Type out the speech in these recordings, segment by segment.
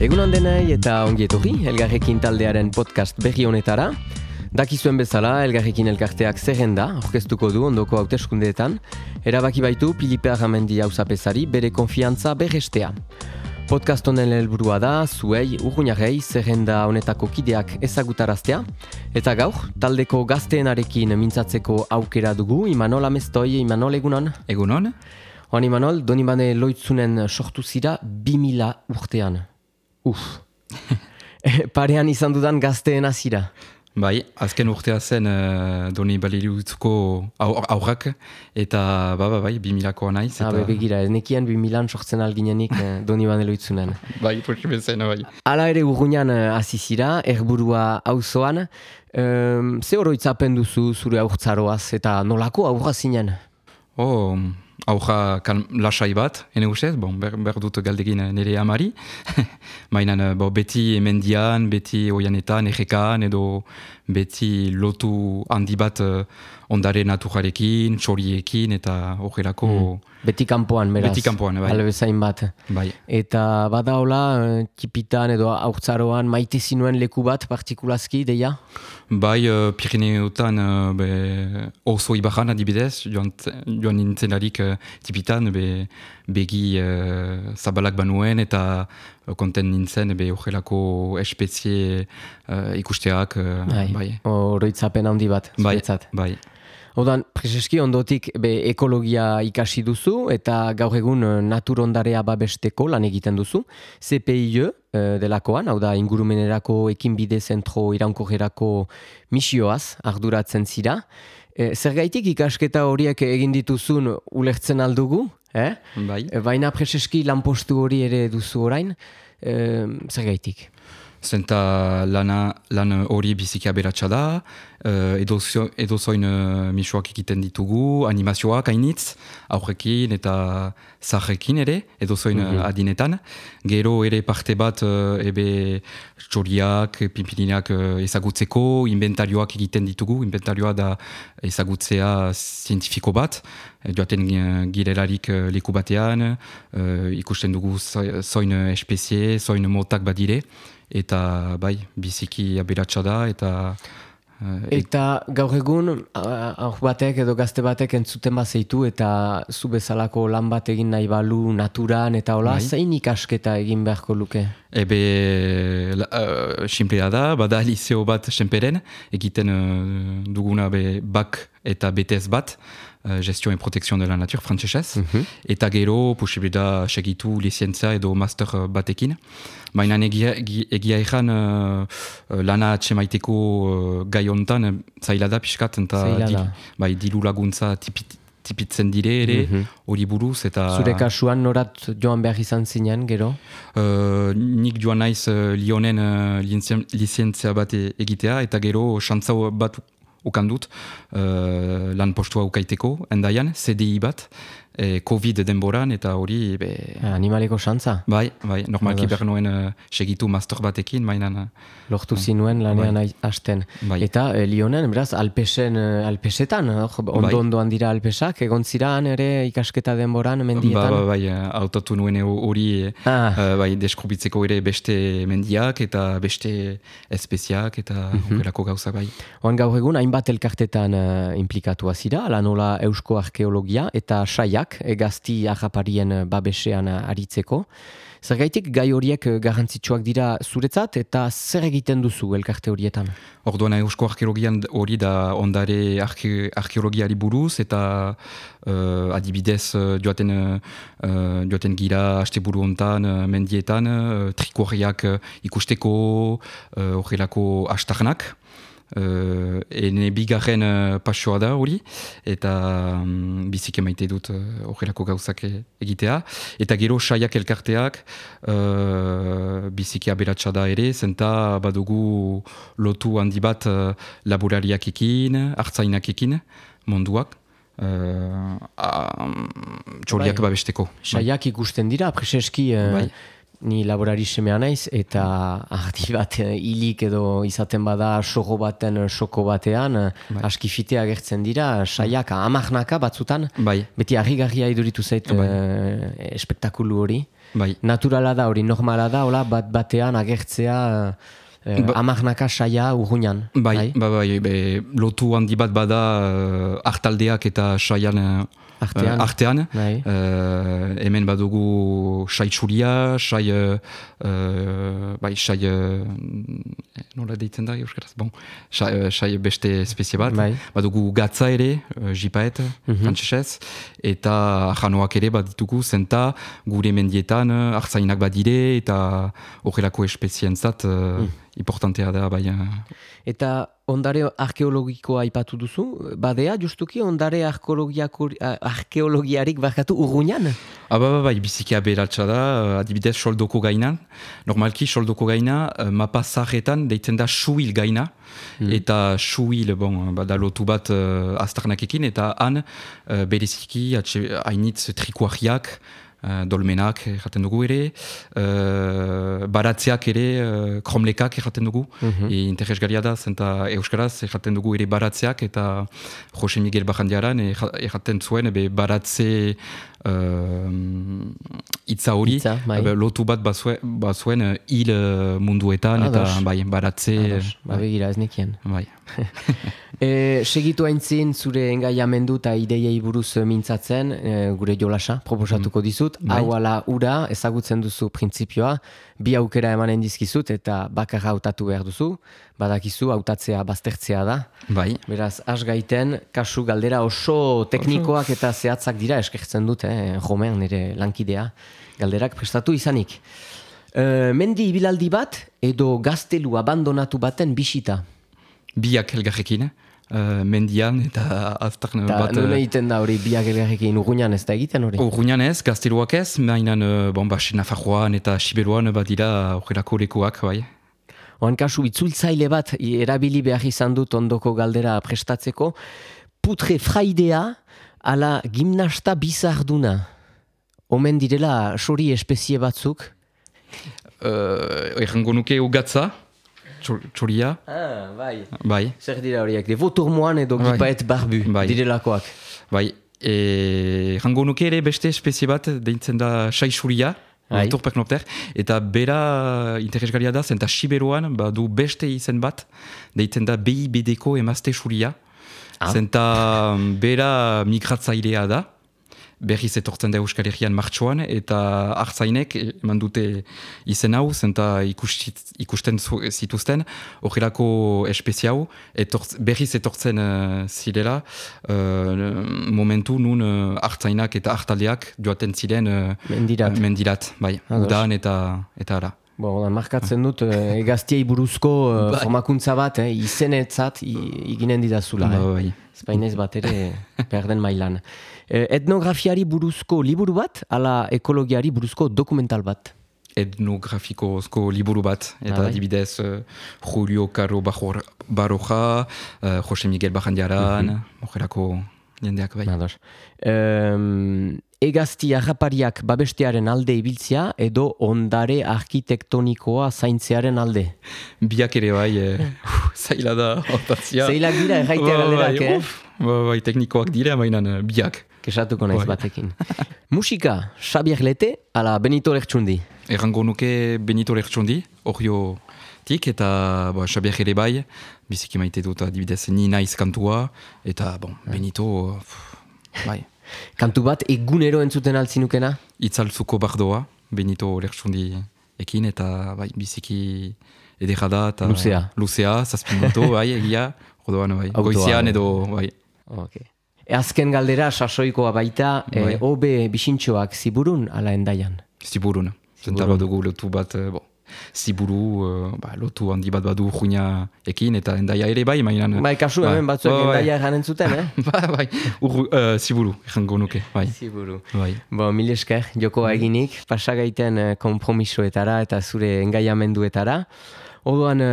Egunon denei eta ongi etorri, Elgarrekin taldearen podcast berri honetara. Dakizuen bezala, Elgarrekin elkarteak zerrenda, aurkeztuko du ondoko hauteskundeetan, erabaki baitu Filipe Arramendi auzapezari bere konfiantza berrestea. Podcast honen helburua da, zuei, urruñarrei, zerrenda honetako kideak ezagutaraztea, eta gaur, taldeko gazteenarekin mintzatzeko aukera dugu, Imanol Amestoi, Imanol, egunon? Egunon? Oan Imanol, Donibane Loitzunen sortu zira 2000 urtean. Parean izan dudan gazteena zira. Bai, azken urtea zen Donibane Loitzuko aurrak, eta bai, 2000koa naiz. Begira, ez nekian 2000an sortzen alginenik Donibane Loitzunen. Bai, posible zen, bai. Hala ere urruñan hasi zira, erburua auzoan. Ze oroitzapen duzu zure aurtzaroaz eta nolako aurra zinen? Aurra lasai bat, ene ustez, behar dut galdegin nire amari. Mainan beti emendian, beti oianetan, errekan, edo beti lotu handi bat ondare naturarekin, txoriekin, eta horrelako... Beti kanpoan, beraz. Beti kanpoan, bai. Albezain bat. Bai. Eta badaola, tipitan edo aurtzaroan maite zinuen leku bat partikulazki, deia? Bai, Pirineotan oso ibarran adibidez, joan nintzelarik tipitan, begi zabalak banuen eta konten nintzen horrelako espezie ikusteak. Bai. Oroitzapen handi bat, zuretzat. Bai. Odan, prezeski ondotik ekologia ikasi duzu eta gaur egun naturondarea babesteko lan egiten duzu. CPIE delakoan, hau da ingurumenerako ekinbide zentro iraunkorrerako misioaz arduratzen zira. Zergaitik ikasketa horiek egin dituzun ulertzen aldugu? Bai. Baina prezeski lanpostu hori ere duzu orain, zergaitik? Zenta lan hori biziki aberatsa da, edo zoin misoak egiten ditugu, animazioak hainitz, aurrekin eta zaharrekin ere, edo zoin adinetan. Gero ere parte bat txoriak, pinpilinak ezagutzeko, inventarioak egiten ditugu, inventarioa da ezagutzea zientifiko bat, joaten girelarik leku batean, ikusten dugu zoin espezie, zoin motak badire, eta bai, biziki aberatsa da, Eta gaur egun, aur batek edo gazte batek entzuten bazeitu eta zu bezalako lan bat egin nahi balu naturan eta hola, zein ikasketa egin beharko luke? Simplea da, bada liceo bat senperen, egiten duguna bak eta BTS bat, Gestion et Protection de la Nature, frantsesez, eta gero posible da segitu lizientzia edo master batekin. Baina egia ezan lana atsemaiteko gai hontan zaila da pixkat, eta diru laguntza tipitzen dire ere, hori buruz, eta... Zure kasuan norat joan behar izan zinen, gero? Nik joan naiz Lyonen lizientzia bat egitea, eta gero xantza bat ukandut lan postua ukaiteko, endaian, CDI bat, COVID denboran, eta hori... Animaleko xantza? Bai, normalki behar nuen segitu master batekin, mainan... Lortu zinuen lanean hasten. Eta Lyonen, beraz, alpesetan, ondoan dira alpesak, egon ziran ere ikasketa denboran mendietan? Bai, autotu nuen hori deskrubitzeko ere beste mendiak, eta beste espeziak, eta horrelako gauza bai. Oan gaur egun, hainbat elkartetan implikatua zira, ala nola Eusko Arkeologia eta saiak, egazti harraparien babesean aritzeko. Zergaitik gai horiek garrantzitsuak dira zuretzat eta zer egiten duzu elkarte horietan? Orduan Eusko Arkeologian hori da ondare arkeologiari buruz eta adibidez joaten gira asteburu hontan mendietan trikuarriak ikusteko horrelako astarnak. Ene bigarren pasioa da hori, eta biziki maite dut horrelako gauzak egitea. Eta gero saiak elkarteak biziki aberatsa da ere, zenta badugu lotu handi bat laborariakekin, artzainakekin, munduak. Txoriak babesteko. Saiak ikusten dira, preseski ni laborari semea naiz, eta ardi bat hilik edo izaten bada sogo baten soko batean, askifitea agertzen dira, saiak amarnaka batzutan, beti harrigarria iduritu zait espektakulu hori. Naturala da hori, normala da, hola, batean agertzea amarnaka saia urruñan. Lotu handi bat bada hartaldeak eta saian artean. Hemen badugu sai txuria, sai nola deitzen da euskaraz? Sai beste espezie bat. Badugu gatza ere, jipaet, frantsesez, eta janoak ere bat ditugu, zenta gure mendietan artzainak badire, eta horrelako espezientzat importantea da, Eta ondare arkeologikoa aipatu duzu, badea justuki ondare arkeologiarik barkatu urruñan? Biziki aberatsa da, adibidez soldoko gainan. Normalki soldoko gaina mapa zaharretan deitzen da suhil gaina, eta suhil, bada lotu bat aztarnakekin, eta han bereziki hainitz trikuariak, dolmenak erraten dugu ere, baratzeak ere, kromlekak erraten dugu, interesgarria da, zenta euskaraz erraten dugu ere baratzeak, eta Jose Miguel Bajandiaran erraten zuen, baratze itza hori, lotu bat bazuen hil munduetan, eta baratze... Begira ez nekien. Segitu haintzin zure engaiamendu eta ideiei buruz mintzatzen, gure jolasa proposatuko dizut. Hau ala ura, ezagutzen duzu printzipioa, bi aukera emanen dizkizut eta bakarra hautatu behar duzu. Badakizu, hautatzea baztertzea da. Beraz, has gaiten, kasu galdera oso teknikoak eta zehatzak dira eskertzen dut, Romen nire lankidea, galderak prestatu izanik. Mendi ibilaldi bat edo gaztelu abandonatu baten bisita? Biak elgarrekin, mendian eta aztarna bat... Eta nuen egiten da hori biak elgarrekin, urruñan ez da egiten hori? Urruñan ez, gazteluak ez, mainan Nafarroan eta Siberuan badira horrelako lekuak, Oan kasu itzultzaile bat erabili behar izan dut ondoko galdera prestatzeko, putre fraidea ala gimnasta bizarduna. Omen direla sori espezie batzuk? Errango nuke ugatza. Txoria. Bai. Zer dira horiek? Devoturmoan edo gipaet barbu direlakoak. Rango nuke ere beste espezie bat deitzen da saixuria, turpeknopter, eta bera interesgarria da, zenta Siberuan du beste izen bat, deitzen da BIBD-ko emazte xuria, zenta bera migratzailea da, berriz etortzen da Euskal Herrian martxoan, eta hartzainek eman dute izen hau, zenta ikusten zituzten, horrelako espezie hau, berriz etortzen zirela, momentu nun hartzainak eta hartaldeak joaten ziren mendirat, udan eta ara. Markatzen dut, egaztiei buruzko formakuntza bat, izenetzat iginen didazula. Espainez bat ere perden mailan. Etnografiari buruzko liburu bat, ala ekologiari buruzko dokumental bat? Etnografikozko liburu bat, eta adibidez Julio Caro Baroja, Jose Miguel Bajandiaran, horrelako jendeak bai. Egazti harrapariak babestearen alde ibiltzea edo ondare arkitektonikoa zaintzearen alde? Biak ere bai, zaila da hortatzia. Zailak dira, erraitea galderak, Bai, teknikoak dira, mainan biak. Kesatuko naiz batekin. Musika, Xabier Lete, ala Benito Lertxundi? Errango nuke Benito Lertxundi, Oriotik, eta Xabier ere bai, biziki maite dut adibidez ni naiz kantua, eta Benito, bai. Kantu bat egunero entzuten altzinukena? Itzaltzuko bardoa, Benito Lertxundi ekin, eta biziki edera da, eta luzea, zazpinuto, egia, rodoan, goizean edo, bai. Azken galdera, sasoikoa baita, obe bisintxoak ziburun ala endaian? Ziburun. Zenta badugu lotu bat, ziburu, lotu handi bat badu juina ekin, eta endaia ere bai, mainan... Kasu hemen batzuek endaia eranen zuten, ziburu, errango nuke, bai. Ziburu. Mil esker, jokoa eginik, pasagaiten kompromisoetara eta zure engaiamenduetara. Odoan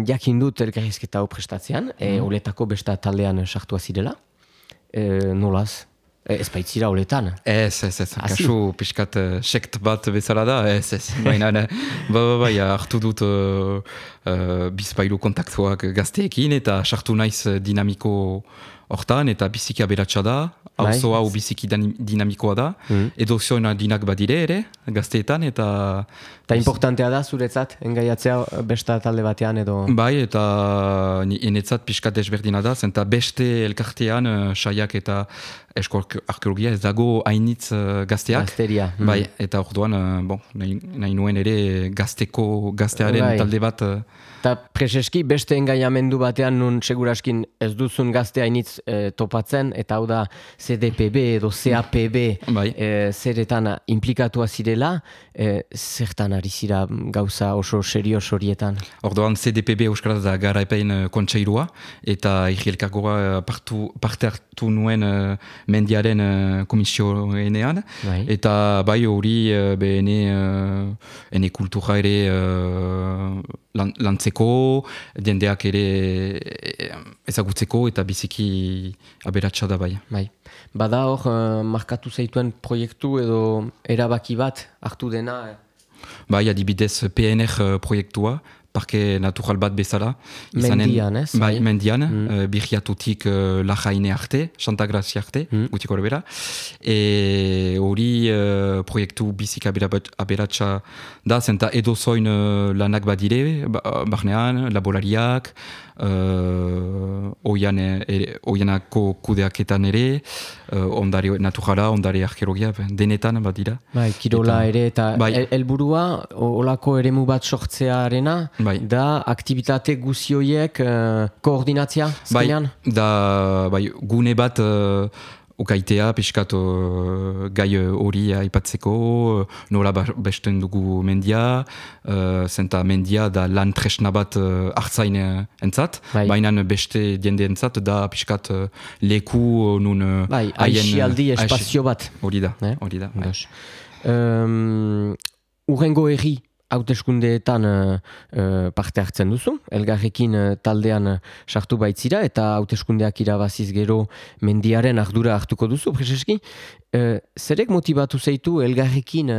jakin dut elkarrizketa hau prestatzean, oletako besta taldean sartua zirela. Nolaz? Ez baitzira oletan. Ez, kasu pixkat sekt bat bezala da, ez. Baina, hartu dut bizpailu kontaktuak gazteekin eta sartu naiz dinamiko hortan eta biziki aberatsa da, auzo hau biziki dinamikoa da, edo zioen dinak badire ere, gazteetan eta... Eta importantea da zuretzat, engaiatzea besta talde batean edo... Bai, eta enetzat pixkat desberdina da, zenta beste elkartean saiak eta esko arkeologia ez dago hainitz gazteak. Gazteria. Bai, eta orduan, nahi nuen ere gaztearen talde bat... Eta preseski beste engaiamendu batean nun seguraskin ez duzun gazte hainitz topatzen, eta hau da CDPB edo CAPB zeretan implikatua zirela, zertan ari zira gauza oso serios horietan? Orduan CDPB euskaraz da garaipen kontseilua, eta Igelkargoa parte hartu nuen mendiaren komisioenean, eta bai hori ene kultura ere lantzeko, jendeak ere ezagutzeko eta biziki aberatsa da bai. Bada hor markatu zaituen proiektu edo erabaki bat hartu dena? Bai, adibidez PNR proiektua, parke natural bat bezala. Mendian, ez? Bai, mendian, Birriatutik Lajaine arte, Santa Grazia arte, gutiko bera. Hori proiektu bizik aberatsa da, zenta edozoin lanak badire, barnean, laborariak, oianako kudeaketan ere, ondare naturala, ondare arkeologia, denetan badira. Bai, kirola ere, eta helburua olako eremu bat sortzearena, da aktivitate guzioiek koordinatzea, zkenean? Bai, gune bat ukaitea, piskat gai hori aipatzeko, nola besten dugu mendia, zenta mendia da lan tresna bat hartzain entzat, baina beste diende entzat da piskat leku nun... Aixialdi espazio bat. Hori da. Urrengo erri hauteskundeetan parte hartzen duzu, elgarrekin taldean sartu baitzira, eta hauteskundeak irabaziz gero mendiaren ardura hartuko duzu, preseski. Zerek motibatu zeitu elgarrekin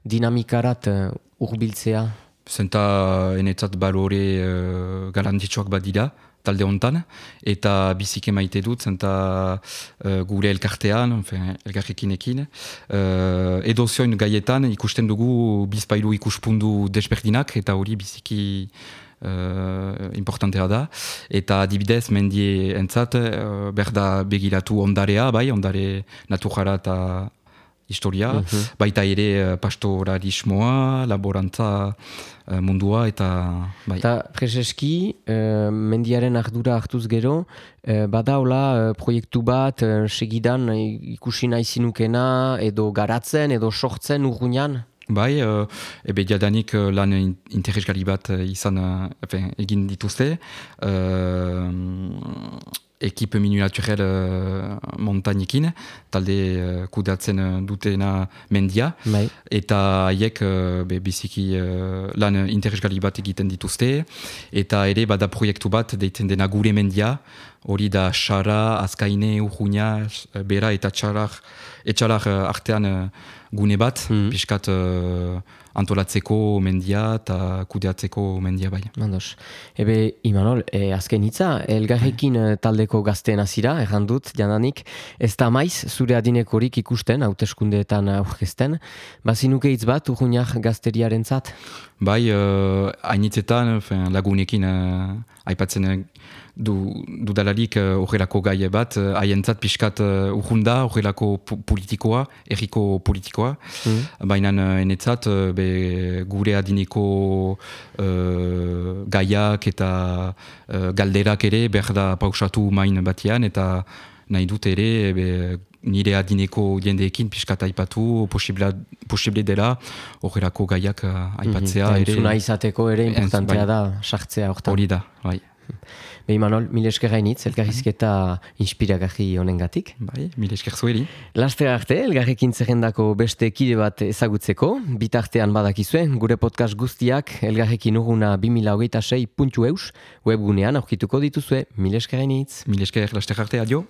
dinamikarat hurbiltzea? Zenta enetzat balore garantitxoak bat dira, talde hontan, eta bizike maite dut, zenta gure elkartean, elkarrekinekin, edozioin gaietan ikusten dugu bizpailu ikuspundu desberdinak, eta hori biziki importantea da, eta adibidez mendie entzat, berda begiratu ondarea, ondare naturara eta historia, baita ere pastoradismoa, laborantza mundua, eta... Eta preseski, mendiaren ardura hartuz gero, badaula proiektu bat segidan ikusi nahi zinukena, edo garatzen, edo sortzen urruñan? Bai, ebe jadanik lan interesgarri bat egin dituzte, ekipe miniaturel montagnekin, talde kudatzen dutena mendia, eta haiek biziki lan interesgarri bat egiten dituzte, eta ere bada proiektu bat deitzen dena gure mendia, hori da Xara, Azkaine, Urruña, Bera eta Etxalar artean gune bat, piskat antolatzeko mendia eta kudeatzeko mendia bai. Mandos. Ebe, Imanol, azken hitza, elgarrekin taldeko gazteen azira, errandut, jananik, ez da maiz, zure adinekorik ikusten, hauteskundeetan aurkezten, bazinuke hitz bat, urruñak gazteriaren zat? Bai, hainitzetan lagunekin aipatzen dudalarik horrelako gai bat, haientzat pixkat urrunda, horrelako politikoa, erriko politikoa, baina enetzat gure adineko gaiak eta galderak ere behar da pausatu main batian, eta nahi dut ere nire adineko jendeekin pixkat aipatu, posible dela horrelako gaiak aipatzea. Entzuna izateko ere importantea da sartzea hortan. Hori da, bai. Imanol, mil esker gainitz, elkarrizketa inspiragarri honengatik. Bai, mil esker zueri. Laster arte, elgarrekin zerrendako beste kide bat ezagutzeko, bitartean badakizue, gure podcast guztiak elgarrekin urruna 2026.eus webgunean aurkituko dituzue. Mil esker gainitz. Mil esker, laster arte, adio.